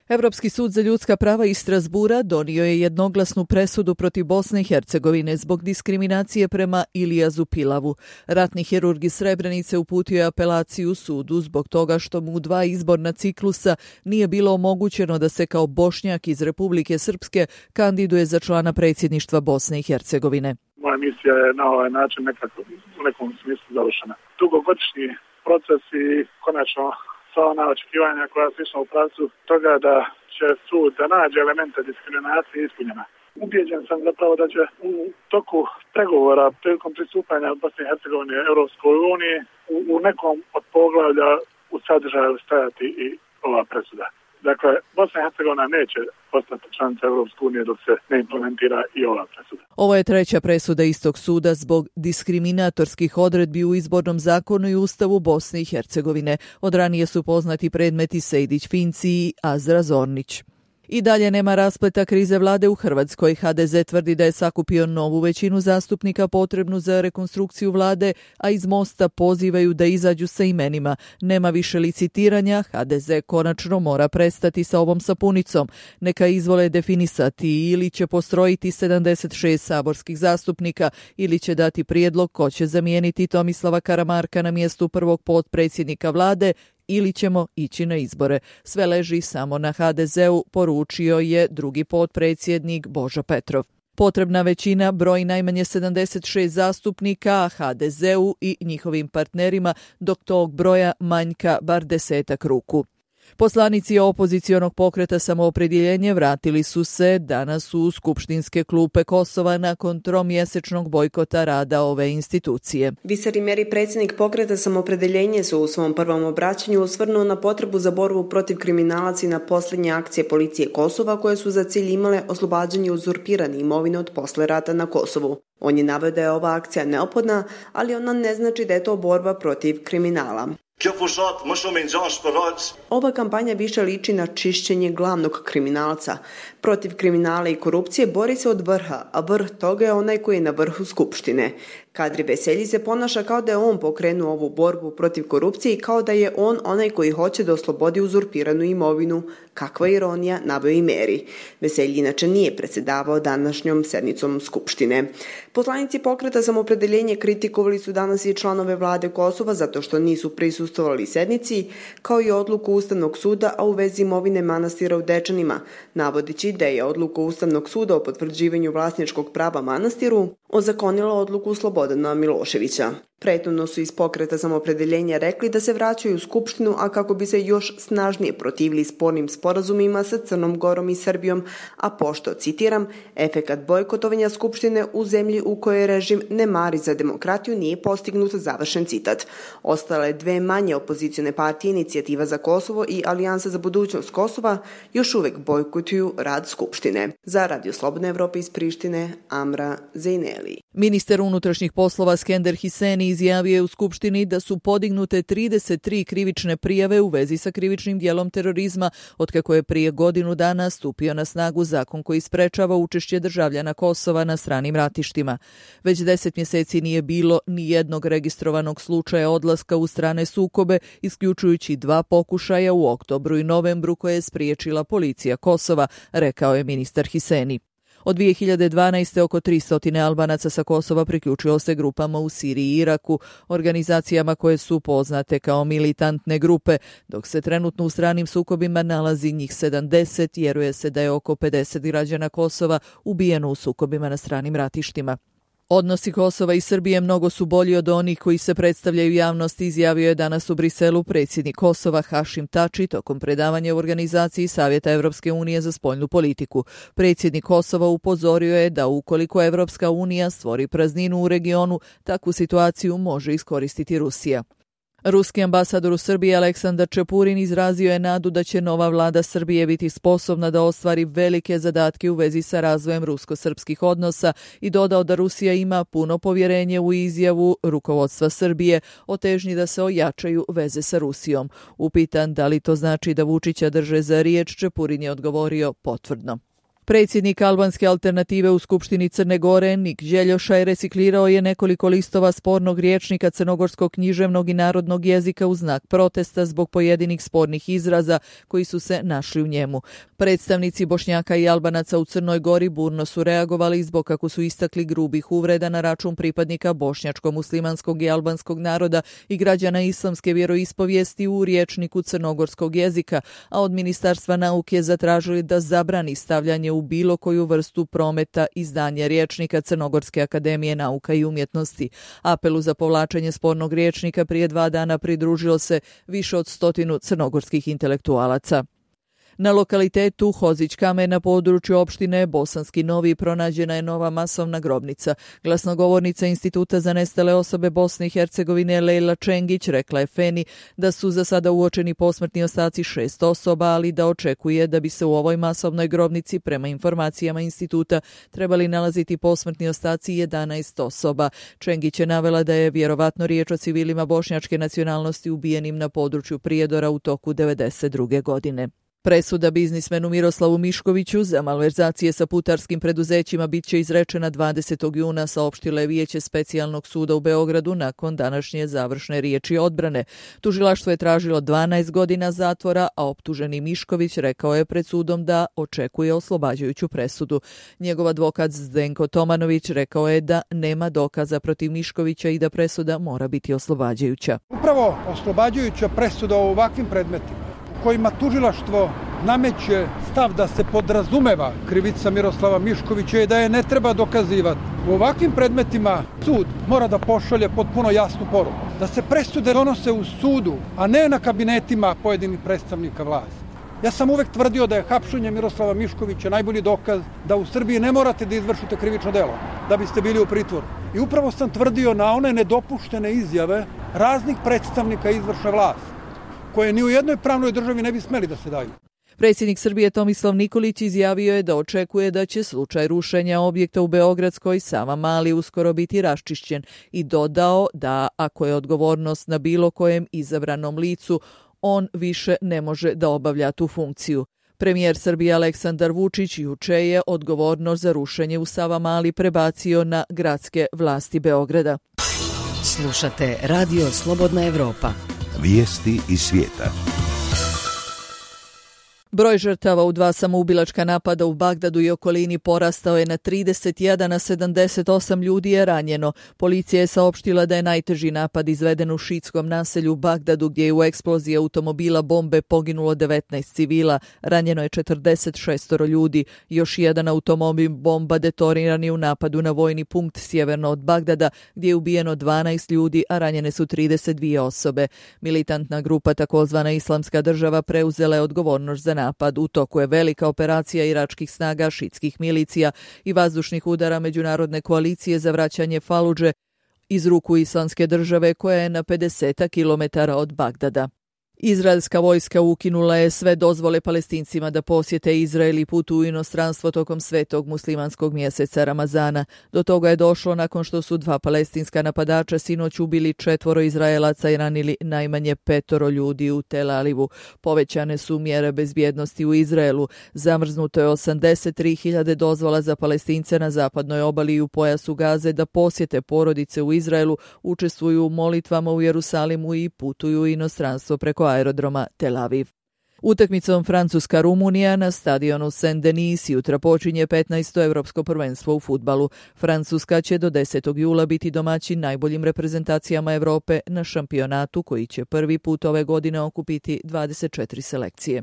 Evropski sud za ljudska prava iz Strasbura donio je jednoglasnu presudu protiv Bosne i Hercegovine zbog diskriminacije prema Ilijazu Pilavu. Ratni hirurg iz Srebrenice uputio je apelaciju sudu zbog toga što mu u 2 izborna ciklusa nije bilo omogućeno da se kao Bošnjak iz Republike Srpske kandiduje za člana predsjedništva Bosne i Hercegovine. Moja misija je na ovaj način u nekom smislu završena. Dugogodišnji proces i konačno sva ona očekivanja koja su išla u pravcu toga da će sud da nađe elemente diskriminacije ispunjena. Ubijeđen sam zapravo da će u toku pregovora prilikom pristupanja Bosne i Hercegovine Europskoj uniji u nekom od poglavlja u sadržaju stajati i ova presuda. Dakle, Bosna i Hercegovina neće postati članica Europske unije dok se ne implementira i ova presuda. Ovo je 3. presuda istog suda zbog diskriminatorskih odredbi u izbornom zakonu i ustavu Bosne i Hercegovine. Od ranije su poznati predmeti Sejdić-Finci i Azra Zornić. I dalje nema raspleta krize vlade u Hrvatskoj. HDZ tvrdi da je sakupio novu većinu zastupnika potrebnu za rekonstrukciju vlade, a iz Mosta pozivaju da izađu sa imenima. Nema više licitiranja, HDZ konačno mora prestati sa ovom sapunicom. Neka izvole definisati ili će postrojiti 76 saborskih zastupnika ili će dati prijedlog ko će zamijeniti Tomislava Karamarka na mjestu prvog potpredsjednika vlade ili ćemo ići na izbore. Sve leži samo na HDZ-u, poručio je drugi potpredsjednik Božo Petrov. Potrebna većina broji najmanje 76 zastupnika, a HDZ-u i njihovim partnerima dok tog broja manjka bar 10 ruku. Poslanici opozicionog pokreta Samoopredjeljenje vratili su se danas u skupštinske klupe Kosova nakon 3-mjesečnog bojkota rada ove institucije. Visari Meri, predsjednik pokreta Samoopredjeljenje, su u svom prvom obraćanju osvrnuo na potrebu za borbu protiv kriminalaca i na posljednje akcije policije Kosova koje su za cilj imale oslobađanje uzurpirane imovine od posle rata na Kosovu. On je naveo da je ova akcija neophodna, ali ona ne znači da je to borba protiv kriminala. Ova kampanja više liči na čišćenje glavnog kriminalca. Protiv kriminala i korupcije bori se od vrha, a vrh toga je onaj koji je na vrhu Skupštine. Kadri Veselji se ponaša kao da je on pokrenuo ovu borbu protiv korupcije i kao da je on onaj koji hoće da oslobodi uzurpiranu imovinu. Kakva ironija, naveo i Meri. Veselji inače nije predsjedavao današnjom sednicom Skupštine. Poslanici pokreta Samoopredjeljenje kritikovali su danas i članove vlade Kosova zato što nisu prisustvovali sednici, kao i odluku Ustavnog suda, a u vezi imovine manastira u Dečanima, navodići da je odluka Ustavnog suda o potvrđivanju vlasničkog prava manastiru ozakonila odluku Slobodana Miloševića. Prethodno su iz pokreta Samoopredjeljenja rekli da se vraćaju u Skupštinu, a kako bi se još snažnije protivili spornim sporazumima sa Crnom Gorom i Srbijom, a pošto, citiram, efekat bojkotovanja Skupštine u zemlji u kojoj režim ne mari za demokratiju nije postignut, završen citat. Ostale 2 manje opozicione partije, Inicijativa za Kosovo i Alijansa za budućnost Kosova, još uvek bojkotuju rad Skupštine. Za Radio Slobodne Evrope iz Prištine, Amra Zejneli. Ministar unutrašnjih poslova Skender Hiseni izjavio je u Skupštini da su podignute 33 krivične prijave u vezi sa krivičnim djelom terorizma, otkako je prije godinu dana stupio na snagu zakon koji sprečava učešće državljana Kosova na stranim ratištima. Već 10 mjeseci nije bilo ni jednog registrovanog slučaja odlaska u strane sukobe, isključujući 2 pokušaja u oktobru i novembru koje je spriječila policija Kosova, rekao je ministar Hiseni. Od 2012. oko 300 Albanaca sa Kosova priključilo se grupama u Siriji i Iraku, organizacijama koje su poznate kao militantne grupe, dok se trenutno u stranim sukobima nalazi njih 70, vjeruje se da je oko 50 građana Kosova ubijeno u sukobima na stranim ratištima. Odnosi Kosova i Srbije mnogo su bolji od onih koji se predstavljaju javnosti, izjavio je danas u Briselu predsjednik Kosova Hašim Tači tokom predavanja u organizaciji Savjeta Evropske unije za spoljnu politiku. Predsjednik Kosova upozorio je da ukoliko Evropska unija stvori prazninu u regionu, takvu situaciju može iskoristiti Rusija. Ruski ambasador u Srbiji Aleksandar Čepurin izrazio je nadu da će nova vlada Srbije biti sposobna da ostvari velike zadatke u vezi sa razvojem rusko-srpskih odnosa i dodao da Rusija ima puno povjerenje u izjavu rukovodstva Srbije o težnji da se ojačaju veze sa Rusijom. Upitan da li to znači da Vučića drže za riječ, Čepurin je odgovorio potvrdno. Predsjednik albanske alternative u Skupštini Crne Gore, Nik Đeljošaj, reciklirao je nekoliko listova spornog rječnika crnogorskog književnog i narodnog jezika u znak protesta zbog pojedinih spornih izraza koji su se našli u njemu. Predstavnici Bošnjaka i Albanaca u Crnoj Gori burno su reagovali zbog, kako su istakli, grubih uvreda na račun pripadnika bošnjačko-muslimanskog i albanskog naroda i građana islamske vjeroispovijesti u rječniku crnogorskog jezika, a od Ministarstva nauke zatražili da zabrani stavljanje u bilo koju vrstu prometa izdanja rječnika Crnogorske akademije nauka i umjetnosti. Apelu za povlačenje spornog rječnika prije 2 dana pridružilo se više od 100 crnogorskih intelektualaca. Na lokalitetu Hozić Kamen na području opštine Bosanski Novi pronađena je nova masovna grobnica. Glasnogovornica Instituta za nestale osobe Bosne i Hercegovine Lejla Čengić rekla je Feni da su za sada uočeni posmrtni ostaci 6 osoba, ali da očekuje da bi se u ovoj masovnoj grobnici, prema informacijama instituta, trebali nalaziti posmrtni ostaci 11 osoba. Čengić je navela da je vjerovatno riječ o civilima bošnjačke nacionalnosti ubijenim na području Prijedora u toku 1992. godine. Presuda biznismenu Miroslavu Miškoviću za malverzacije sa putarskim preduzećima bit će izrečena 20. juna, saopštilo je Vijeće Specijalnog suda u Beogradu nakon današnje završne riječi odbrane. Tužilaštvo je tražilo 12 godina zatvora, a optuženi Mišković rekao je pred sudom da očekuje oslobađajuću presudu. Njegov advokat Zdenko Tomanović rekao je da nema dokaza protiv Miškovića i da presuda mora biti oslobađajuća. Upravo oslobađajuća presuda u ovakvim predmetima kojima tužilaštvo nameće stav da se podrazumeva krivica Miroslava Miškovića i da je ne treba dokazivati. U ovakvim predmetima sud mora da pošalje potpuno jasnu poruku. Da se presude donose u sudu, a ne na kabinetima pojedinih predstavnika vlasti. Ja sam uvek tvrdio da je hapšenje Miroslava Miškovića najbolji dokaz da u Srbiji ne morate da izvršite krivično delo da biste bili u pritvoru. I upravo sam tvrdio na one nedopuštene izjave raznih predstavnika izvršne vlasti, koje ni u jednoj pravnoj državi ne bi smeli da se daju. Predsjednik Srbije Tomislav Nikolić izjavio je da očekuje da će slučaj rušenja objekta u Beogradskoj Savamali uskoro biti raščišćen i dodao da ako je odgovornost na bilo kojem izabranom licu, on više ne može da obavlja tu funkciju. Premijer Srbije Aleksandar Vučić juče je odgovornost za rušenje u Savamali prebacio na gradske vlasti Beograda. Slušate Radio Slobodna Evropa. Vijesti iz svijeta. Broj žrtava u 2 samoubilačka napada u Bagdadu i okolini porastao je na 31, a 78 ljudi je ranjeno. Policija je saopštila da je najteži napad izveden u šiitskom naselju u Bagdadu, gdje je u eksploziji automobila bombe poginulo 19 civila, ranjeno je 46 ljudi. Još jedan automobil bomba detoniran je u napadu na vojni punkt sjeverno od Bagdada, gdje je ubijeno 12 ljudi, a ranjene su 32 osobe. Militantna grupa takozvana Islamska država preuzela je odgovornost za napad. U toku je velika operacija iračkih snaga, šiitskih milicija i vazdušnih udara međunarodne koalicije za vraćanje Faludže iz ruku Islamske države, koja je na 50 kilometara od Bagdada. Izraelska vojska ukinula je sve dozvole Palestincima da posjete Izrael i putuju u inostranstvo tokom svetog muslimanskog mjeseca Ramazana. Do toga je došlo nakon što su 2 palestinska napadača sinoć ubili 4 Izraelaca i ranili najmanje 5 ljudi u Tel Avivu. Povećane su mjere bezbjednosti u Izraelu. Zamrznuto je 83.000 dozvola za Palestince na zapadnoj obali i u pojasu Gaze da posjete porodice u Izraelu, učestvuju u molitvama u Jerusalimu i putuju u inostranstvo preko aerodroma Tel Aviv. Utakmicom Francuska-Rumunija na stadionu Saint-Denis jutra počinje 15. Evropsko prvenstvo u fudbalu. Francuska će do 10. jula biti domaćin najboljim reprezentacijama Evrope na šampionatu koji će prvi put ove godine okupiti 24 selekcije.